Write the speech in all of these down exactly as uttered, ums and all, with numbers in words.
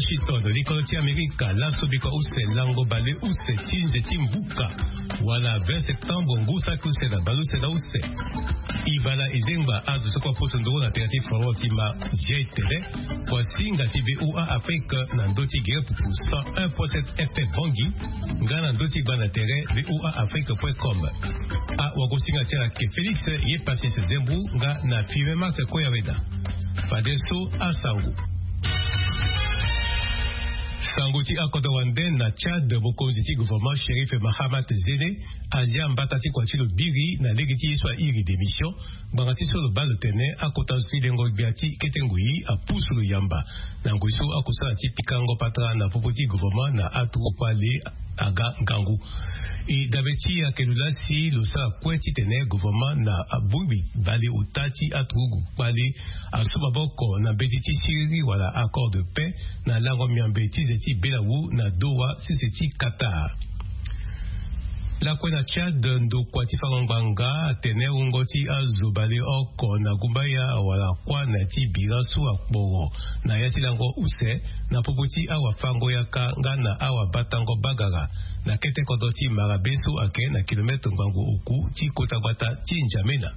Washington, likolo ti Amerika, laso bikua use, lango bale use ti nze ti mbuka, wala vingt septembre, ngu saki use na bale use na use. Ivala ezengba azo so kue aposo nduru na tere ti Florent ti ma zia etene. Kua singa ti VOA Afrique na ndö ti gere pupu cent un point sept F M Bangui, nga na ndö ti gba na tere VOA Afrique point com. Awagosinga ti ala ake Félix Yepasis Zembu nga na Five Mars Koyaweda. Fadeso asango. Sango ti akodro wande na Tchad, mokonzi ti gouvernement Chérif Mahamat Zéné azia mbata ti kua ti lo biri na lege ti ye so airi démission. Ngbanga ti so lo baa lo tene akota zo ti lengo gbia ti kete ngoi apusu lo yamba na ngoi so akusala ti pikango patara na popo ti gouvernement na aturugu kpale aga ngangu. E dabe ti ake lo lasi lo sara kue titene gouvernement na abongbi bale ota ti aturugu kpale asu maboko na mbeti ti siriri wala accord de paix na lango miambe ti ze ti belawu na Doha sese ti Qatar. Lakue na Tchad, ndokua ti fango ngbanga atene wungo ti azo bale oko na gumbaya wala kuâ na ya ti bira so akporo na ya ti lango use na popo ti awafango yaka nga na awabatango bagara na kete kodro ti Marabe so ake na kilometre ngbangbo oku ti kota gbata ti N'Djamena.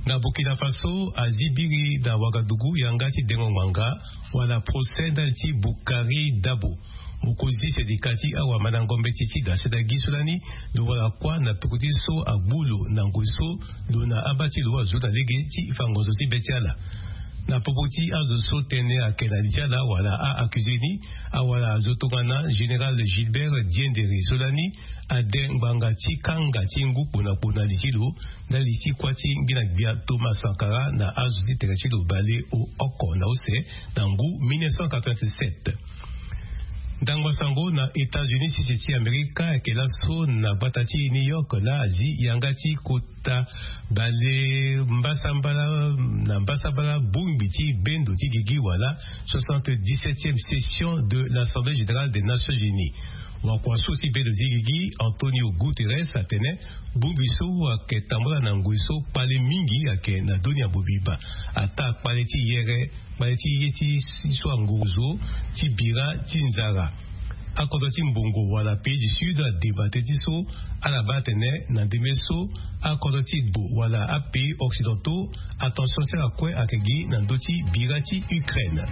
Na Burkina Faso, azi biri na Ouagadougou yanga ti dengo ngbanga wala procès ndali ti Boukari Dabo, mokonzi ti sendika ti awamandango mbeti ti Dasedagi so lani lo wara kuâ na peko ti so agbu lo na ngoi so lo na aba ti lo azo na lege ti fa ngonzo ti be ti ala. Na popo ti azo so tënë ayeke na li ti ala wala a-accusé ni, awara azo tongana général Gilbert Diendéré so lani ade ngbanga ti kanga ti ngu kpo na kpo na li ti lo ndali ti kuâ ti ngbina gbia Thomas Sankara na azo ti tere ti lo baleoko na use na ngu mille neuf cent quatre-vingt-sept. Ndangba sango na États-Unis, sese ti Amerika, ayeke laso na gbata ti New York laa azi yanga ti kota bale mbasambala na mbasambala bongbi ti bendo ti gigi wala soixante-dix-septième session de l'Assemblée générale des Nations Unies. Wakua so ti bendo ti gigi, Antonio Guterres, atene bongbi so ayeke tambula na ngoi so kpale mingi ayeke na dunia mobimba. Ataa kpale ti yere, kpale ti ye ti so anguru zo ti bira ti nzara. Akodro ti mbongo wala pays du sud adeba teti so ala baa atene na ndembe so akodro ti gbo wala apays occidentaux, attention ti ala kue ayeke gi na ndö ti bira ti Ukraine.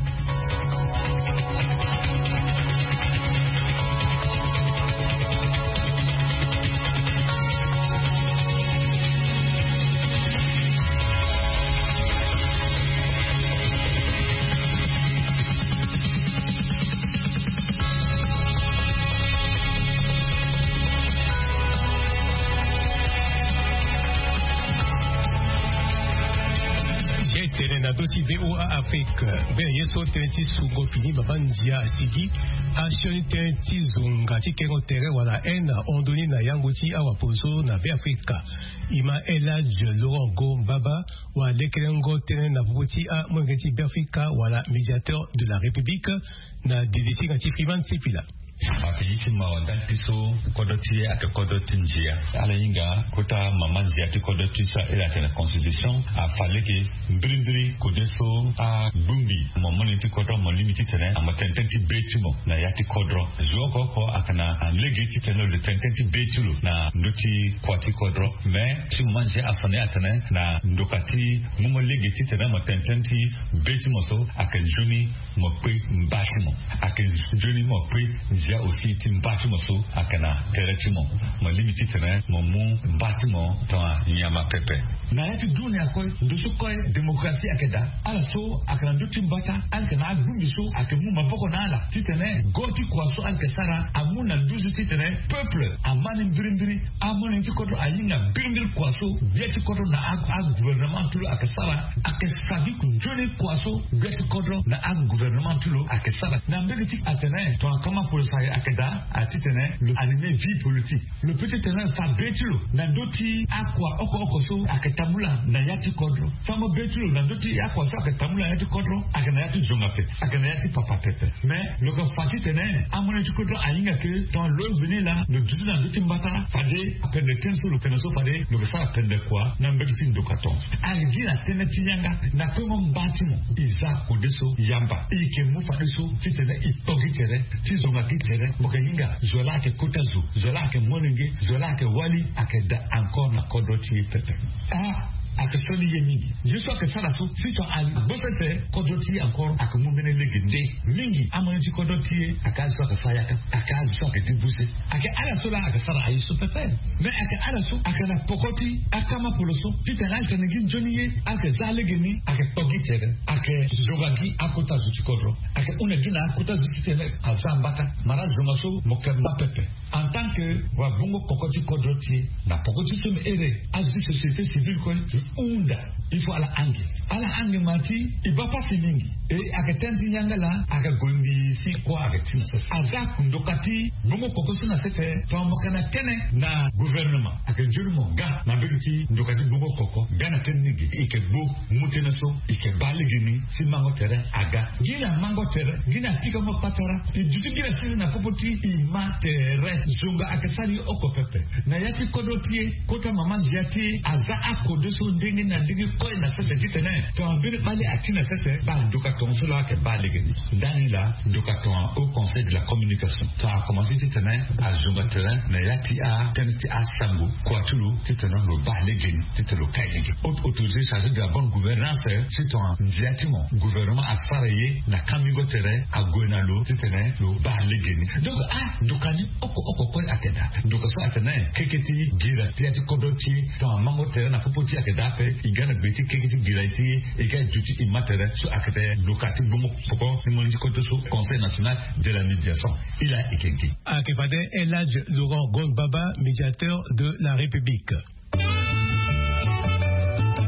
Ye tene na ndö ti VOA Afrique. Mbeni ye so tënë ti sungo fini mama ndia asigi. Asioni tënë ti zonga ti kengo tere wala haine ahon ndoni na yango ti awapozo na Beafrika. E ma Elhadj Laurent Go Mbaba, walekelengo tënë na popo ti amolenge ti Beafrika wala médiateur de la République, na didisinga ti Freeman Sipila. Ayeke ye ti mawa ndali ti so kodro ti e ayeke kodro ti ndia. Ala hinga kota mama ndia ti kodro ti so ahiri atene constitution afa lege mbirimbiri kode so abongbi mo molenge ti kodro mo lingbi titene mo tene tënë ti be ti mo na ya ti kodro. Zo oko oko ayeke na lege titene lo tene tënë ti be ti lo na ndö ti kua ti kodro. Mais ti mama ndia afa ni atene na ndoka ti mu mo lege titene mo tene tënë ti be ti mo so ayeke nzoni mo kpe mba ti mo. Ayeke nzoni mo kpe ndia aussi ti mba ti mo so ayeke na tere ti mo. Mo lingbi titene mo mu mba ti mo tongana nyama pepe. Na ya ti dunia kue, ndo so kue démocratie ayeke daa. Ala so ayeke na ndö ti mbata, ala yeke na abongbi so ayeke mu maboko na ala titene go ti kua so ala yeke sara amu na nduzu titene peuple ama ni mbirimbiri. Amolenge ti kodro ahinga mbirimbiri kua so gbia ti kodro na a, agouvernement ti lo ayeke sara. Ayeke sagi nzoni kua so gbia ti kodro na agouvernement ti lo ayeke sara. Na mbeni ti atene tongana kama polo sara ayeke daa, atitene lo animer vie politique. Lo peut titene fa be ti lo na ndö ti akua oko oko so ayeke tambula na ya ti kodro. Fango be ti lo na ndö ti akua so ayeke tambula na ya ti kodro ayeke na ya ti zonga pepe, ayeke na ya ti papa pepe. Mais lo yeke fa titene amolenge ti kodro ahinga ke tongana lo veni laa lo duti na ndö ti mbata fade apende tënë so lo tene so fade lo yeke sara pende kua na mbege ti ndoka tongaso. Agi na tënë ti yanga na kongo mba ti mo. E za kode so yamba e yeke mu fadeso titene e to gi tere ti zonga gi tere. Mo yeke hinga zo laa ayeke kota zo, zo laa ayeke molenge, zo laa ayeke wali ayeke daa encore na kodro ti e pepe. Ah, ayeke sioni ye mingi. Ye so ayeke sara so si tongana ali gbo sese kodro ti e encore ayeke mu mbeni lege nde. Mingi amolenge ti kodro ti e ayeke azo so ayeke fâ yaka, ayeke azo so ayeke ti buse. Ayeke ala so laa ayeke sara aye so pepe. Mais ayeke ala so ayeke na poko ti akama polo so titene ala tene gi nzoni ye, ala yeke za lege ni, ayeke to gi tere, ayeke zonga gi akota zo ti kodro. Ayeke hunda gi na akota zo titene aza mbata. Mara zonga so mo yeke ma pepe. En tant que wabungo poko ti kodro ti e, na poko ti so mo here azo ti société civile kue, e hunda. Il faut ala ange. Ala ange ma ti e baa pasi mingi. E ayeke tënë ti yanga laa ayeke gue mbi si kua ayeke ti na sese. Aza ndoka ti bongo koko so na sese. Tongana mo yeke na tënë na gouvernement, ayeke nzoni mo ga na mbege ti ndoka ti bongo koko, ga na tënë ni ge. E yeke gbu mu tënë so e yeke baa lege ni si mango tere aga. Gi na mango tere, gi na pikango patara. E duti gi na sese na popo ti e ma tere. Zonga ayeke sara e oko pepe. Na ya ti kodro ti e, kota mama ndia ti e aza akode so ndenge na ndenge kue na sese titene tongana mbeni bale ati na sese baa ndoka tongaso laa ayeke baa lege ni. Ndani laa ndoka tongana Haut Conseil de la Communication tongana akomanse titene azonga tere na ya ti atënë ti asango kua ti lo titene lo baa lege ni titene lo kai lege. Haute autorité chargée de la bonne gouvernance, si tongana ndia ti mo gouvernement asara ye na kangbingo tere ague na lo titene lo baa lege ni. Donc ah ndoka ni oko oko kue ayeke daa. Ndoka so atene keke ti gira ti ya ti kodro ti e tongana mango tere na popo ti e ayeke daa ape. E ga na gbe ti keke ti gira ti e, e ga e duti e ma tere so ayeke tene ndoka ti bongo poko ni mo ni ti kodro so Conseil national de la médiation. E laa e yeke gi. Ayeke fade El Hadj Laurent Gondbaba, médiateur de la République.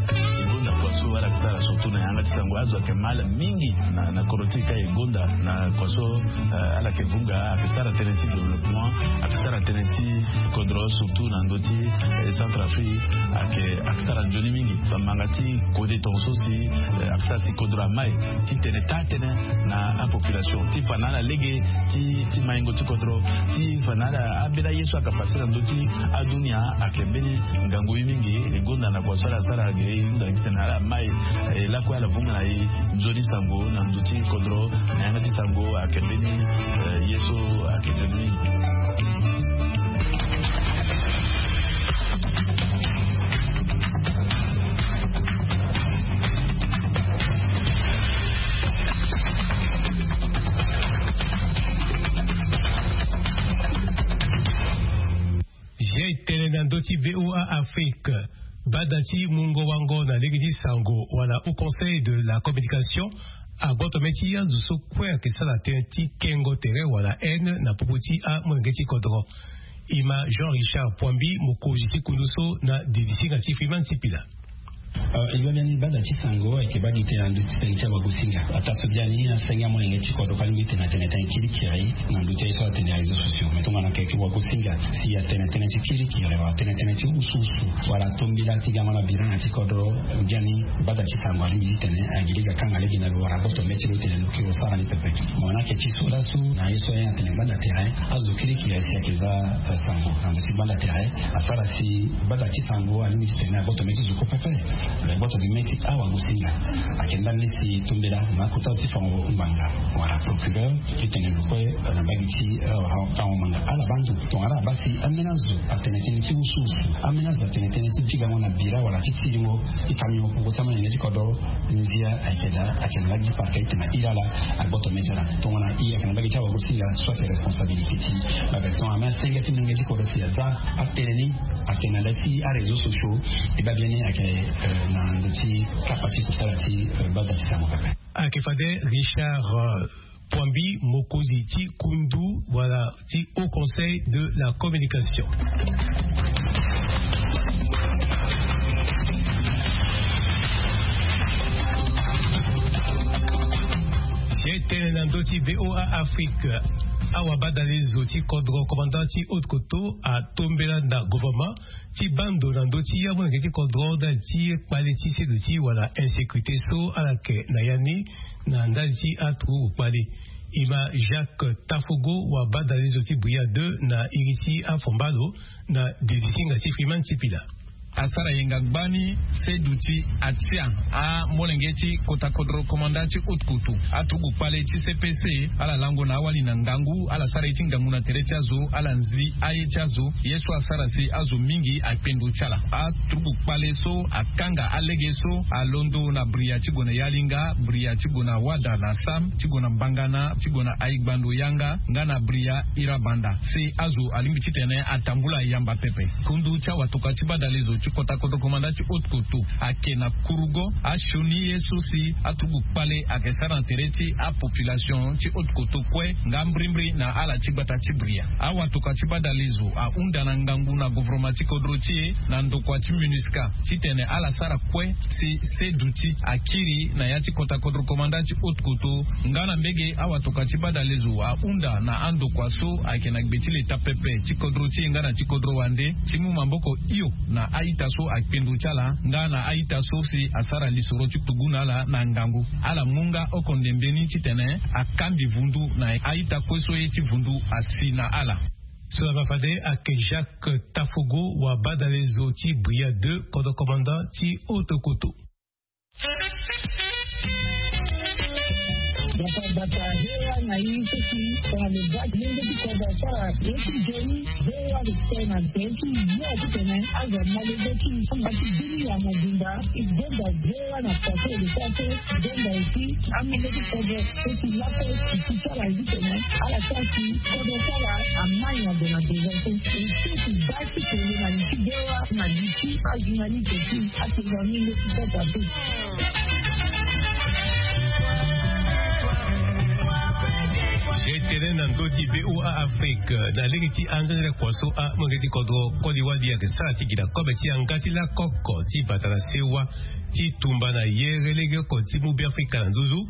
E gonda kua so ala yeke sara surtout na yanga ti sango azo ayeke ma ala mingi na, na kodro ti e ka e gonda na kua so, eh, ala yeke vunga ayeke sara tënë ti développement, ayeke sara tënë ti kodro surtout na ndö ti, eh, Centrafrique ayeke, ayeke sara nzoni mingi. Bamanga ti kode tongaso si, eh, ayeke sara si kodro amai titene taa tënë na apopulation ti fa na ala lege ti, ti maingo ti kodro, ti fa na ala ambeni aye so ayeke pase na ndö ti adunia ayeke mbeni ngangu ye mingi. E gonda na kua so ala sara ge e hunda gi titene ala mai, eh, lakue ala vunga na e nzoni sango na ndö ti kodro na yanga ti sango ayeke mbeni, eh, ye so ayeke nzoni mingi. Zia e tene na ndö ti V O A Afrique. Bada ti mungo wango na lege ti sango wala Haut Conseil de la Communication agboto mê ti azo so kue ayeke sara tënë ti kengo tere wala haine na popo ti amolenge ti kodro. E ma Jean Richard Poambi, mokonzi ti kundu so na didisinga ti Freeman Sipila. Euh, e lobi ani bada ti sango ayeke baa gi tënë na ndö ti senge ti awagosinga. Ataa so biani asenge amolenge ti kodro kue alingbi tene atene tënë kirikiri na ndö ti aye so atene aréseau sociaux. Mais tongana ayeke wagosinga si atene tënë ti kirikiri wala atene tënë ti usuusu wala atombela ti gango na bira na ti kodro, biani bada ti sango alingbi ti tene agi lege akanga lege na lo wala agboto mê ti lo tene lo kiri lo sara ni pepe. Mo na ayeke ti so laso na ye so aye atene gbanda tere azo kirikiri si ayeke za, eh, sango na ndö ti gbanda tere. Asara si bada ti sango alingbi ti tene agboto mê ti zo kue pepe. Lo gboto gi mê ti awagosinga. Ayeke ndani lê si tombela na akota zo ti fango ngbanga wala procureur ti tene lo kue, eh, na mbage ti, eh, wala fango ngbanga ala baa ndo tongana ala baa si ambeni azo atene tënë ti usuusu, ambeni azo atene tënë ti bigango na bira wala ti tiringo ti kamion poko ti amolenge ti kodro. Ndia ayeke daa ayeke na lage ti parquet ti tene iri ala agboto mê ti ala. Tongana e ayeke na mbage ti awagosinga so ayeke responsabilité ti e. Tongana amê asenge ti molenge ti kodro si aza atene ni ayeke na le ti aréseau sociaux. E baa biani ayeke, eh, na ndö ti kapa ti kusala ti, eh, bada ti sango pepe. Ayeke fade Richard, euh, Poambi, mokonzi ti kundu wala ti Haut Conseil de la Communication. Tene na ndö ti VOA Afrique. Awa badalezo ti kodro, commandant ti Haute Koto atombela na gouvernement ti baa ndo na ndö ti amolenge ti kodro ndali ti kpale ti seduti wala insécurité so ala yeke na ya ni na ndali ti aturugu kpale. E ma Jacques Tafogo wa badalezo ti Bria deux na iri ti afombalo na didi ti ngangu ti Freeman Sipila. Asara yenga gbani, seduti atia amolenge ti kota kodro, komanda ti Haute Koto, aturugu kpale ti C P C, ala lango na awali na ngangu, ala sara ye ti ngangu na tere ti azo, ala nzi aye ti azo. Ye so asara si azo mingi akpe ndo ti ala. Aturugu kpale so akanga alege so alondo na Bria ti gue na Yalinga, Bria ti gue na Wada na Sam, ti gue na Mbangana, ti gue na Aigbando Yanga, nga na Bria Irabanda. Si azo alingbi titene atambula yamba pepe. Kundu ti awatoka ti badalezo ti kota kodro, komanda ti Haute Koto, ayeke na kurugo asioni ye so si aturugu kpale ayeke sara na tere ti apopulation ti Haute Koto kue nga mbrimbri na ala ti gbata ti Bria. Awatoka ti badalezo ahunda na ngangu na gouvernement ti kodro ti e na ndokua ti MINUSCA titene ala sara kue si seduti akiri na ya ti kota kodro, komanda ti Haute Koto. Nga na mbege, awatoka ti badalezo ahunda na andokua so ayeke na gbe ti leta pepe ti kodro ti e nga na ti kodro wande ti mu maboko hio na a-ita so akpe ndo ti ala nga na a-ita so si asara lisoro ti tugu na ala na ngangu. Ala mu nga oko ndembe ni titene akambi vundu na a-ita kue so ye ti vundu asi na ala. So laba fade ayeke Jacques Tafogo wa badalezo ti Bria deux, kodro commandant ti Haute Koto. Bata bata hewa na ye so si tongana lo baa ti lenge ti kodro asara ye ti nzoni. Hewa lo tene na tere ti yo titene azo amolenge ti fanga ti bini ya mobimba. E gonda hewa na faso lo sara so e gonda aussi amolenge ti kodro so si laso e si ti ala titene ala sara si kodro ti ala amai na gue na gue so e si ti baa ti tene na li ti hewa na li ti ajournaliste ti atenga mingi ti kota pe. E tene na ndö ti VOA Afrique na lege ti anzenzele kua so amolenge ti kodro koli wali ayeke sara ti gi na kobe ti yanga ti lakoko ti bata na sewa ti tumba na yere lege oko ti mu Beafrika na nduzu.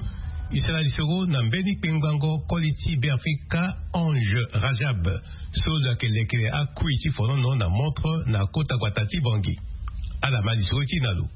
E sara lisoro na mbeni kpengbango koli ti Beafrika Ange Rajab so lo yeke lekere akui ti fonono na montre na kota gbata ti Bangui. Ala ma lisoro ti e na lo.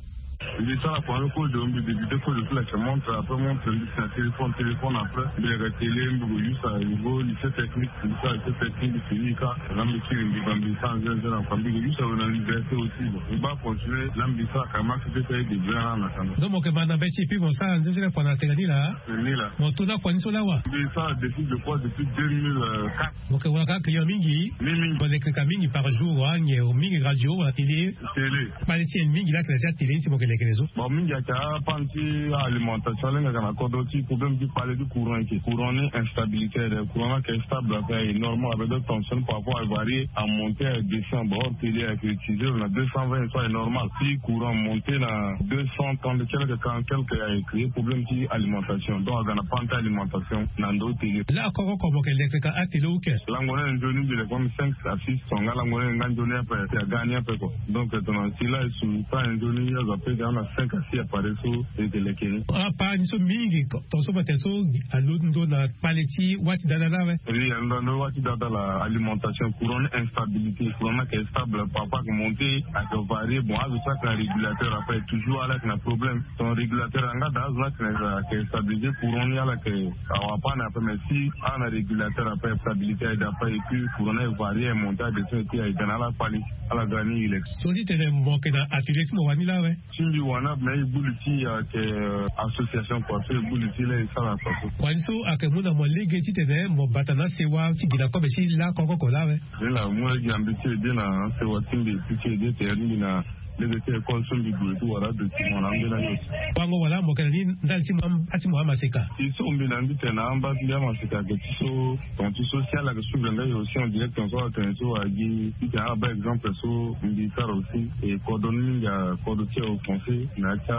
Mbi sara kua ni kozo, mbi débute kozo ti leke montre, après montre mbi si na téléphone, téléphone après mbi leke télé, mbi ko use niveau lycée technique, mbi sara lycée technique, mbi fini ka. Laa mbi kiri mbi ba mbi sara nzenze na kua, mbi ko use awe na université aussi. Bon, mbi baa continuer, laa mbi sara ka marché ti ete de bien na kanda. Donc mo yeke ma na mbeti et puis mo sara nzenze na kua na tene ni laa. Ni laa. Mo to na kua ni so laa wa? Mbi sara depuis, je crois, depuis deux mille quatre. Mo yeke wara ka client mingi? Mingi, mingi. Mo leke ka mingi par jour wa nyen? Mingi radio wala télé? Télé. Kpale ti nyen mingi laa tene ti atélé ni si mo yeke lekere so? Bon, mingi ayeke apane ti alimentation, lenge ayeke na kodro ti problème ti kpale ti courant eke. Courant ni instabilité aye, courant ni ayeke stable ape, aye normal ape, donc tension parfois aye varié, amonté, aye descend. Bon, hors télé ayeke utiliser na deux cent vingt so aye normal. Si courant monté na deux cent trente quelque, quarante quelque, aye créer problème ti alimentation, donc aga na panne ti alimentation na ndo télé. Laa koko oko mo yeke leke ka atélé ou ke? Lango ni aye nzoni mbi leke comme cinq à six tonnes, nga lango ni aye nga nzoni ape, si aga ni ape kua. Donc tongana si laa e su ta aye nzoni azo ape ga na cinq à six appareil so e yeke leke ni. Apa ni so mingi ko? Tongaso ma tene so alondo na kpale ti wâ ti dada laa awe? Oui, alondo na wâ ti dada laa, alimentation, courant ni instabilité, courant ni ayeke stable, parfois ayeke monté, ayeke varié. Bon, azo so ayeke na régulateur ape toujours ala yeke na problème. Ton régulateur yanga daa, azo ni atene ayeke stabilisé, courant ni ala yeke awa panne ape, mais si ala na régulateur ape, stabilité aye daa ape, et puis courant ni aye varié, aye monté, aye descend, et puis aye ga na ala kpale, ala ga ni relax. So ti tene mo yeke na atelier ti mo wani laa awe? Ti mbi wani ape, mais e gbu li ti e ayeke, euh, association kua so e gbu li ti e laa e sara kua so. Kua ni so ayeke mu na mo lege titene mo bata na asewa ti gi na kobe ti lakoko oko laa awe? Ni laa mu lege na mbi ti ede na asewa ti mbi ti ti ede tere ti mbi na lege ti école so mbi gue ti wara document na ambeni ayo. Wango wala mo yeke na ni ndali ti mo, a ti mo amaseka? E so mbi na mbi tene na amba ti mbi amaseka ayeke ti so, ton ti so si ala yeke suivre nga e aussi en direct, ton so ala tene so agi ti tene ala baa exemple so mbi sara aussi. E kodro ni mingi akodro ti aoffensé na ya ti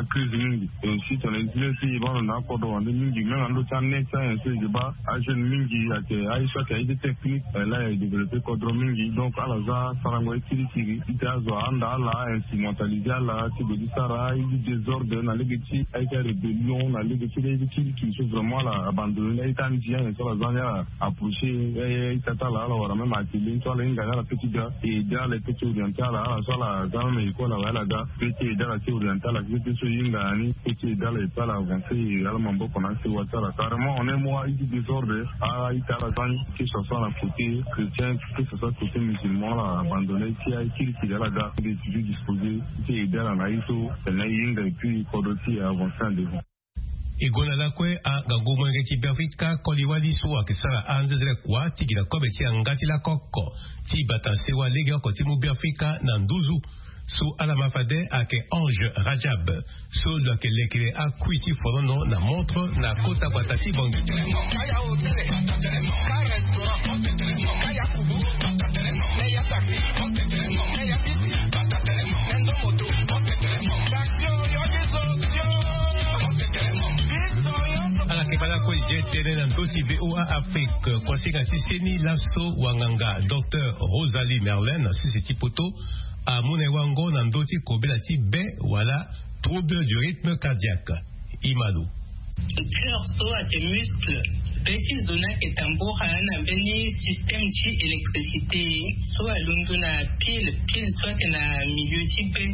acrise mingi. Et aussi tongana e zi lege ti e baa ndo na akodro wande mingi, même na ndö ti anet ti ayen so e yeke baa ajeune mingi ayeke aye so ayeke aye ti technique, eh, laa e développé kodro mingi. Donc ala za sarango ye kirikiri ti tene azo ahanda ala, instrumentalisé ala ti gue ti sara aye ti désordre na Lege ti aye ti arébellion na lege ti lege ti kirikiri so vraiment ala abandonné ni aye ti andi anyen so ala za ni ala approché aye ti ata ala ala wara même atelier ni so ala hinga ni ala pe ti ga e aide ala e pe ti orienté ala ala so ala za même école awe ala ga pe ti aide ala ti orienté ala ti pe so e hinga na ni pe ti aide ala e pe ala avancé e ala maboko na asewa ti ala carrément en un mois aye ti désordre. Aye ti ala za ni que ce soit na côté chrétien que ce soit côté musulman ala abandonné ti aye kirikiri ala ga de toujours disposé ti aide ala na aye so tene e hinga et puis kodro ti e avancé en devant. E gue na lakue angangu molenge ti Beafrika koli wali so ayeke sara anzezele kua ti gi na kobe ti yanga ti lako oko ti bata sewa legeoko ti mu Beafrika na nduzu. So ala ma fade ayeke Ange Rajab so lo yeke lekere akui ti folono na montre na kota gbata ti Bangui. Ala yeke bale akue je tënë na ndö ti VOA Afrique. Kuasinga ti seni laso wanganga docteur Rosalie Merlin na sese ti poto amu na e wango na ndö ti kobela ti be wala trouble du rythme cardiaque. Imalo. Cœur so ayeke muscle. Be ti zo ni ayeke tambura na mbeni système ti électricité so alondo na pile pile so ayeke na milieu ti be.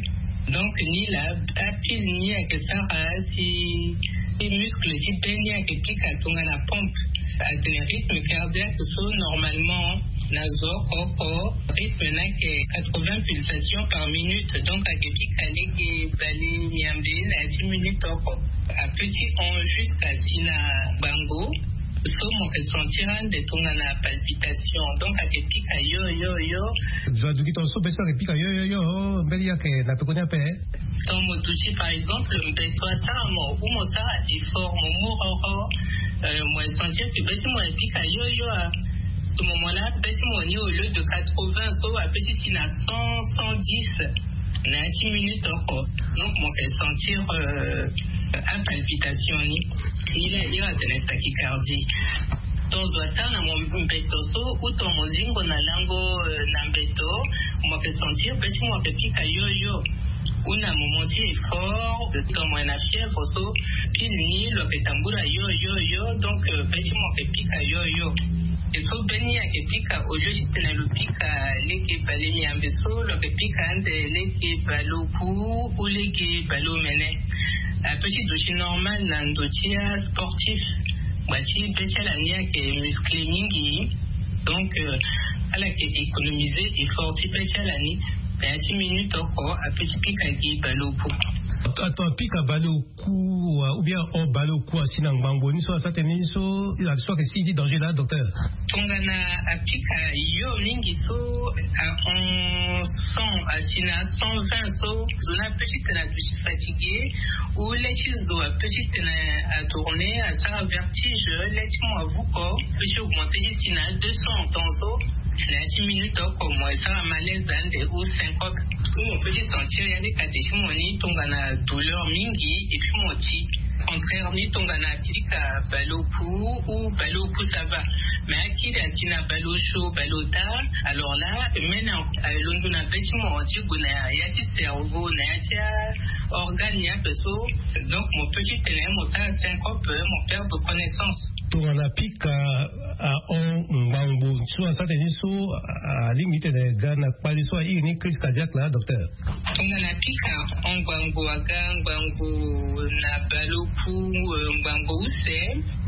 Donc ni la apile ni ayeke sara si muscle ti be ni ayeke pika tongana pompe. Atene rythme cardiaque so normalement na zo oko oko rythme ni ayeke quatre-vingts pulsations par minute. Donc ayeke pika lege bale miambe na ya ti minute oko. Ape ti hon jusqu'à si na bango so mo yeke sentir ande tongana palpitation. Donc ayeke pika yo yo yo. Zo aduki tonga so be so ayeke pika yo yo yo. Mbeni ayeke na pekoni ape. Tant mo duti par exemple mbeto asara mo ou mo sara effort mo mu roro. Mo sentir que be ti mo ayeke pika yo yo. Ce moment là be ti mo ni au lieu de quatre-vingts so ape ti si na cent, cent dix na ya ti minute oko. Donc mo yeke sentir apalpitation ni. Ni la iri atene tachycardie. Tant zo atanga na mo mbeto so ou tant mo zingo na lango na mbeto mo yeke sentir be ti mo yeke pika yo yo. Ou na moment ti effort tant mo yeke na fièvre so pile ni lo yeke tambula yo yo yo. Donc be ti mo yeke pika yo yo. E so be ni ayeke pika au lieu ti tene lo pika lege bale miambe so lo yeke pika ande lege bale oku ou lege bale omene. Ape ti duti normal na ndo ti asportif. Ngba ti be ti ala ni ayeke musclé mingi. Donc ala yeke économiser effort ti be ti ala ni. Na ya ti minute oko ape ti pika gi bale oku. Ato apika bale oku ou bien ahon bale oku asi na ngbangbo ni so asara tene ni so? Aso ayeke si ti danger laa docteur? Tongana apika yo mingi so ahon cent asi na cent vingt so zo ni ape ti tene aduti fatigué. Ou le ti zo ape ti tene atourné asara vertige le ti mo avuko. Ape ti augmenté ti si na deux cents temps so na ya ti minute oko mo esara malaise ande ou syncope. Ou mo peut ti sentir ya leka te ti mo ni tongana douleur mingi et puis mo ti contraire ni tongana atilika bale oku ou bale oku ça va. Mais akiri asi na bale osio bale ota. Alors là mene alondo na be ti mo ti gue na ya ti cerveau na ya ti organe ni ape so. Donc mo peut ti tene mo sara syncope mo perdre connaissance. Tongana apika ahon ngbangbo so asara tene ni so alingbi ti tene ga na kpali so airi ni crise cardiaque laa docteur? Tongana apika ahon ngbangbo aga ngbangbo na bale oku ngbangbo use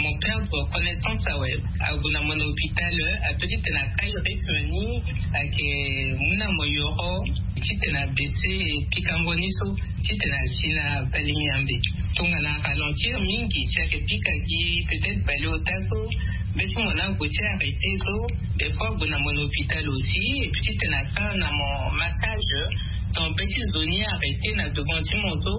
mo perdre connaissance awe. Ague na mo na hôpital ape ti tene akai rythme ni. Ayeke mu na mo yoro ti tene abaissé pikango ni so ti tene asi na bale miambe. Tongana aralentir mingi si ayeke pika gi peut-être bale ota so be ti mo ni ague ti arrêté so. Des fois ague na mo na hôpital aussi et puis ti tene asara na mo massage. Donc be ti zo ni arrêté na devant ti mo so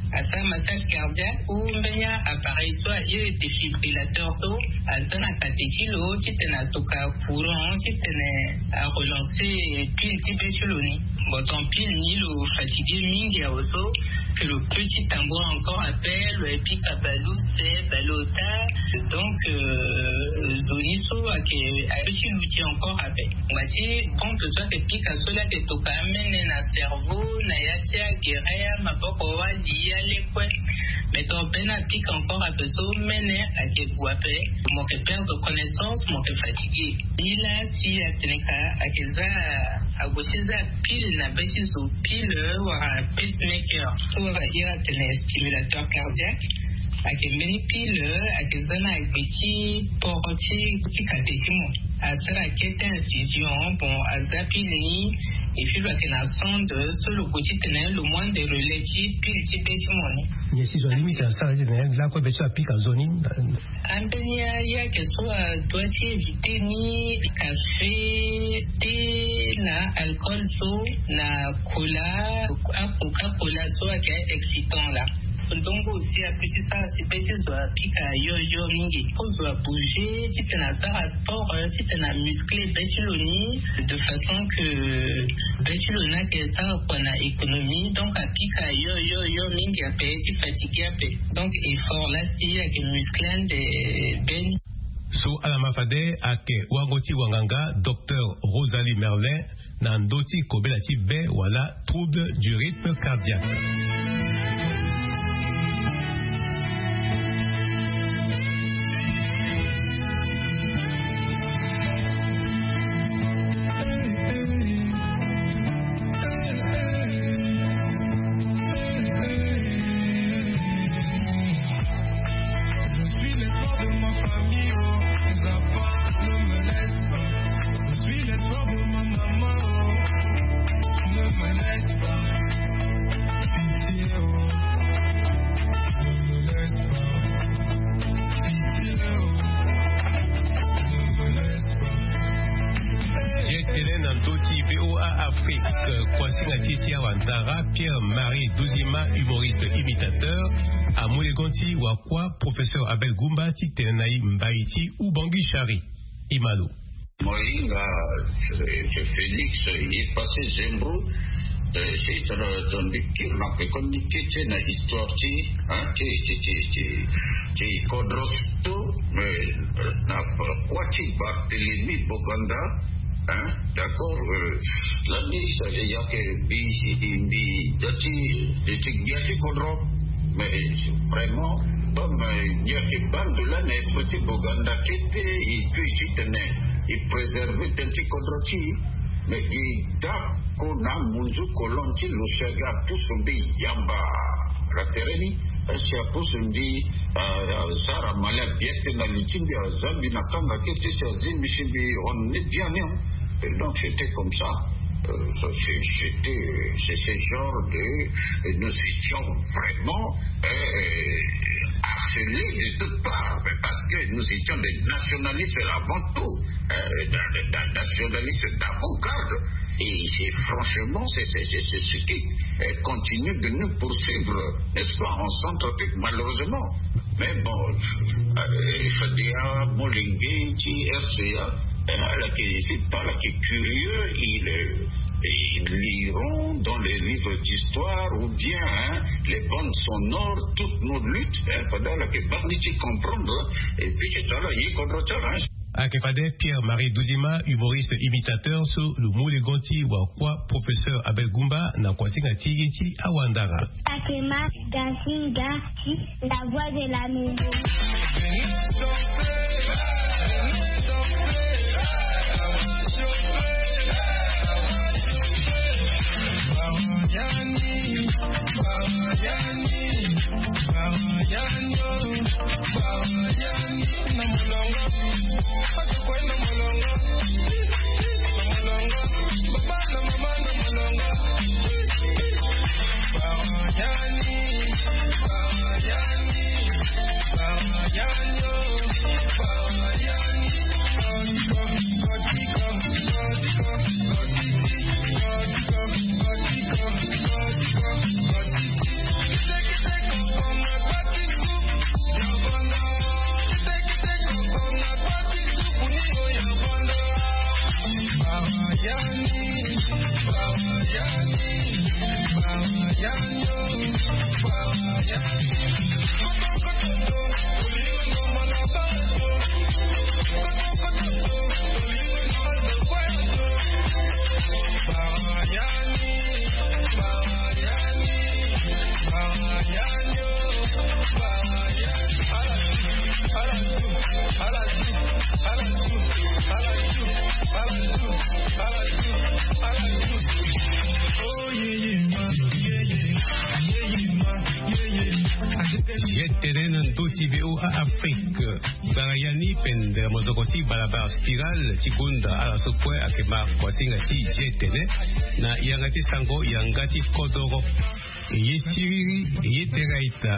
asara massage cardiaque ou mbeni appareil so aye défibrillateur so aza na kate ti lo ti tene atoka courant ti tene arelancé pile ti be ti lo ni. Bon tant pile ni lo fatigué mingi awe so que lo peut ti tambula encore appel. Lo ye pika baleuse, baleota. Donc zo ni so ayeke, ayeke ti luti encore ape. Ngbasi pompe so ayeke pika so laa ayeke toka amene na cerveau na ya ti agere amaboko wali alekue. Mais tongana pika encore ape so mene ayeke gue ape. Mo yeke perdre connaissance, mo yeke fatigué. Ni laa si atene ka ayeke za, ague ti za pile na be ti zo, pile wala pacemaker, to wala iri atene stimulateur cardiaque. Ayeke mbeni pile ayeke za na gbe ti poro ti ti kate ti mo. Asara kete incision, bon, aza pile ni. Et puis lo ayeke na sonde so lo gue ti tene lo moins de relais ti pile ti be ti mo ni. Nyen si zo alimite asara ti tene lakue be ti apika zo ni? Ambeni aye ayeke so adoit ti éviter ni café, thé na alcool so, na cola, acoca cola so ayeke excitant laa. Ndongo aussi ape ti sara si be ti zo apika yo yo mingi. Faut zo abouger ti tene asara sport, ti tene amuscler be ti lo ni, de façon que be ti lo ni ayeke sara kua na économie. Donc apika yo yo yo mingi ape ti fatigué ape. Donc effort laa si ayeke muscler ande be ni. So ala ma fade ayeke wango ti wanganga, docteur Rosalie Merlin, na ndö ti kobela ti be wala trouble du rythme cardiaque. Ye tene na ndö ti V O A Afrique, kuasinga ti e ti awa ndara, Pierre Marie Duzima, humoriste imitateur, amu legon ti wakua professeur Abel Goumba ti tene na e mbai ti Ubangui Chari. E ma lo. Mo hinga, eh, Félix, ye passé Zembro, eh, si tara tongana mbi kiri na pe, comme mbi kiri ti na histoire ti, hein, ti, ti, ti, ti, ti kodro so, mais, eh, na kua ti Barthélemy Boganda, hein, d'accord, eh, lani, eh, ayeke mbi, mbi, mbi, ya ti, ti, ti, ya ti kodro. Mais vraiment, comme, euh, nyen ayeke baa ndo lani na esprit ti Boganda kete, e puis ti tene e préserver tënë ti kodro ti e. Mais gi dako na munzu kolon ti lo si aga apusu mbi yamba na tere ni, eh, si apusu mbi, euh, asara mali abiete na li ti mbi, aza mbi na kanga kete si azi mbi si mbi hon ni biani. Et donc, c'était comme ça. Euh, ça, c'est- c'était, c'est ce genre de, et nous étions vraiment, euh, harcelés de toutes parts, mais parce que nous étions des nationalistes avant tout, euh, da- da- da- nationalistes d'avant-garde. Et, et franchement, c'est c'est- c'est- c'est ce qui, euh, continue de nous poursuivre, n'est-ce pas, en Centrafrique, malheureusement. Mais bon, euh, fade a molenge ti R C A, euh, ala yeke, c'est pas, ala yeke curieux, ils, euh, ils liront dans les livres d'histoire ou bien, hein, les bandes sonores toutes nos luttes, hein, fade ala yeke baa ni ti comprendre, et puis ti tene ala ye kodro ti ala, hein. Ayeke fade Pierre Marie Duzima, humoriste imitateur, so lo mu legon ti wakua professeur Abel Goumba na kuasinga ti e ti awandara. Akema Gasinga ti La Voix de la Maison. Tene na ndö ti V O A Afrique. Gbara ya ni pendere mozoko ti balabala spirale ti gonda ala so kue ayeke ma kuasinga ti je tene na yanga ti sango yanga ti kodoro. Ye siriri, ye tere aita.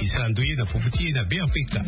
E sara ndo ye na popo ti ye na Be Afrika.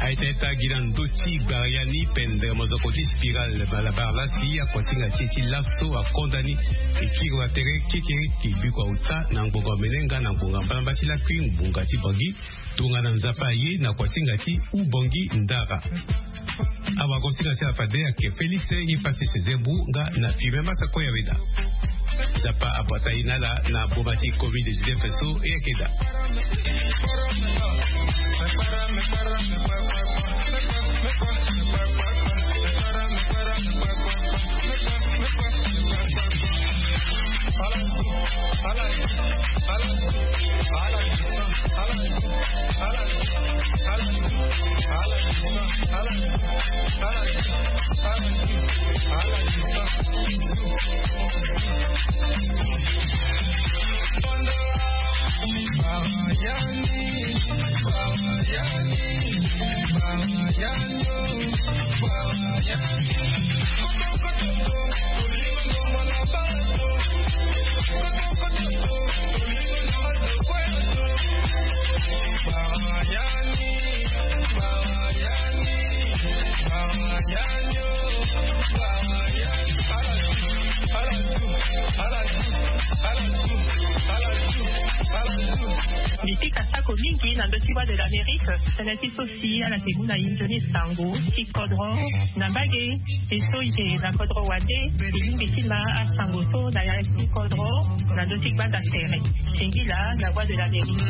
Aita aita gi na ndö ti gbara ya ni pendere mozoko ti spirale balabala lasi akuasinga ti e ti laso akonda ni. E kiri wa tere kekereke biko auta na ngbonga omene nga na ngbonga mbalamba ti lakui ngbonga ti bangi. Tongana nzapa aye na kuasinga ti ubongi ndara. Awagosinga ti ala fade ayeke Félix ye Patrice Zembu nga na Firmin Massakoya Weda. Nzapa abata ye na ala na boma ti covid dix-neuf so e yeke daa. Mbi pika sako mingi na ndö ti Voix de l'Amérique. Tënë ti so si ala yeke mu na e nzoni sango ti kodro na mbage. E so e yeke na kodro wande, e lingbi ti ma asango so na ya ti kodro na ndö ti gbanda tere. Singila na Voix de l'Amérique.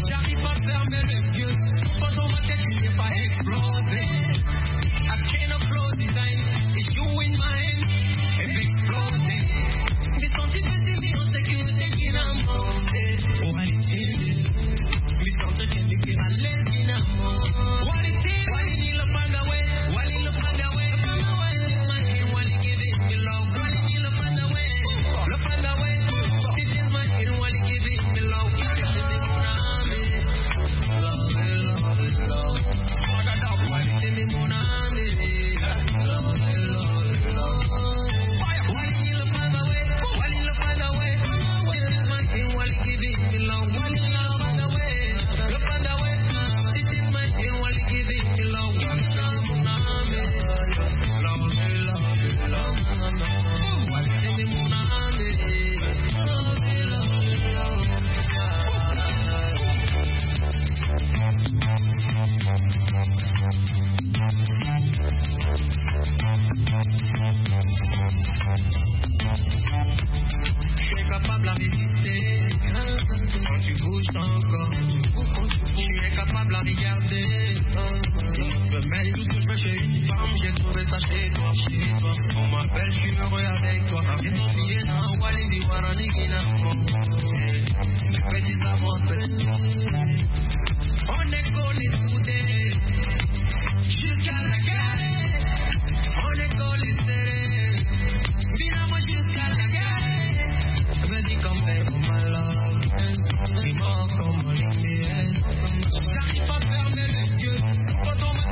J'arrive pas à fermer les yeux. Pas dans ma tête, il n'est pas explosé. I cannot close his eyes. It's you in my hand. It's exploding. J'ai senti que t'es en sécurité, finalement. Oh, allez, mi sento che mi tira lenti na mo. Quality, quality lo find a way, quality lo find a way. Quality lo find a way, quality lo find a way. This is my way, quality give it me love. Quality mo na me. Quality mo na me. Tu es capable à résister quand tu bouges ton corps. Tu es capable à regarder. Mais tout ce que j'ai une femme, j'ai trouvé ça chez toi, chez toi. On m'appelle, je suis heureux avec toi. Ils ont oublié, non, Walidi Waranigina. Petit amour, petit. On est collés soudés.